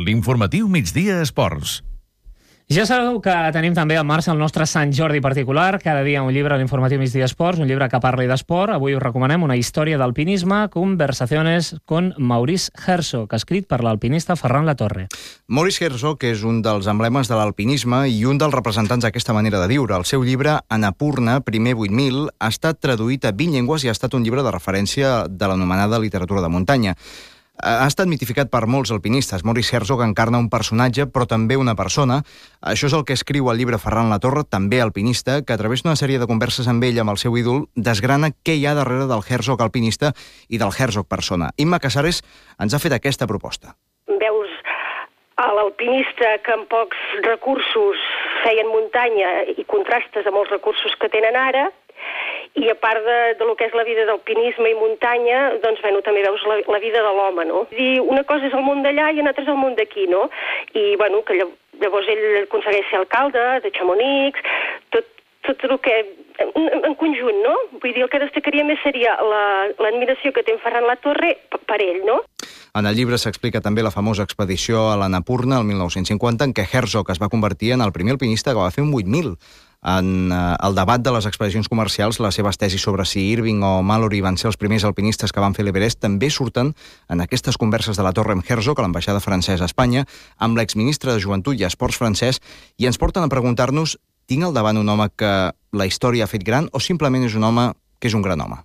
L'informatiu Migdia Esports. Ja sabeu que tenim també en marxa el nostre Sant Jordi particular. Cada dia un llibre a l'Informatiu Migdia Esports, un llibre que parli d'esport. Avui us recomanem una història d'alpinisme, Conversaciones con Maurice Herzog, escrit per l'alpinista Ferran Latorre. Maurice Herzog és un dels emblemes de l'alpinisme i un dels representants d'aquesta manera de viure. El seu llibre, Annapurna, primer 8.000, ha estat traduït a 20 llengües i ha estat un llibre de referència de l'anomenada literatura de muntanya. Ha estat mitificat per molts alpinistes. Maurice Herzog encarna un personatge, però també una persona. Això és el que escriu al llibre Ferran Latorre, també alpinista, que a través d'una sèrie de converses amb ell, amb el seu ídol, desgrana què hi ha darrere del Herzog alpinista i del Herzog persona. Imma Casares ens ha fet aquesta proposta. Veus a l'alpinista que amb pocs recursos feien muntanya i contrastes amb els recursos que tenen ara, i a part de lo que és la vida d'alpinisme i muntanya, doncs, bueno, també veus la vida de l'home, no? Una cosa és el món d'allà i una altra és el món d'aquí, no? I, bueno, que llavors ell aconsegueix ser alcalde de Chamonix, tot el que... en conjunt, no? Vull dir, el que destacaria més seria l'admiració que té en Ferran Latorre per ell, no? En el llibre s'explica també la famosa expedició a l'Annapurna el 1950, en què Herzog es va convertir en el primer alpinista que va fer un 8.000. En el debat de les expedicions comercials, les seves tesis sobre si Irving o Mallory van ser els primers alpinistes que van fer l'Everest també surten en aquestes converses de Latorre amb Herzog a l'ambaixada francesa a Espanya, amb l'exministre de Joventut i Esports francès, i ens porten a preguntar-nos: tinc al davant un home que la història ha fet gran o simplement és un home que és un gran home?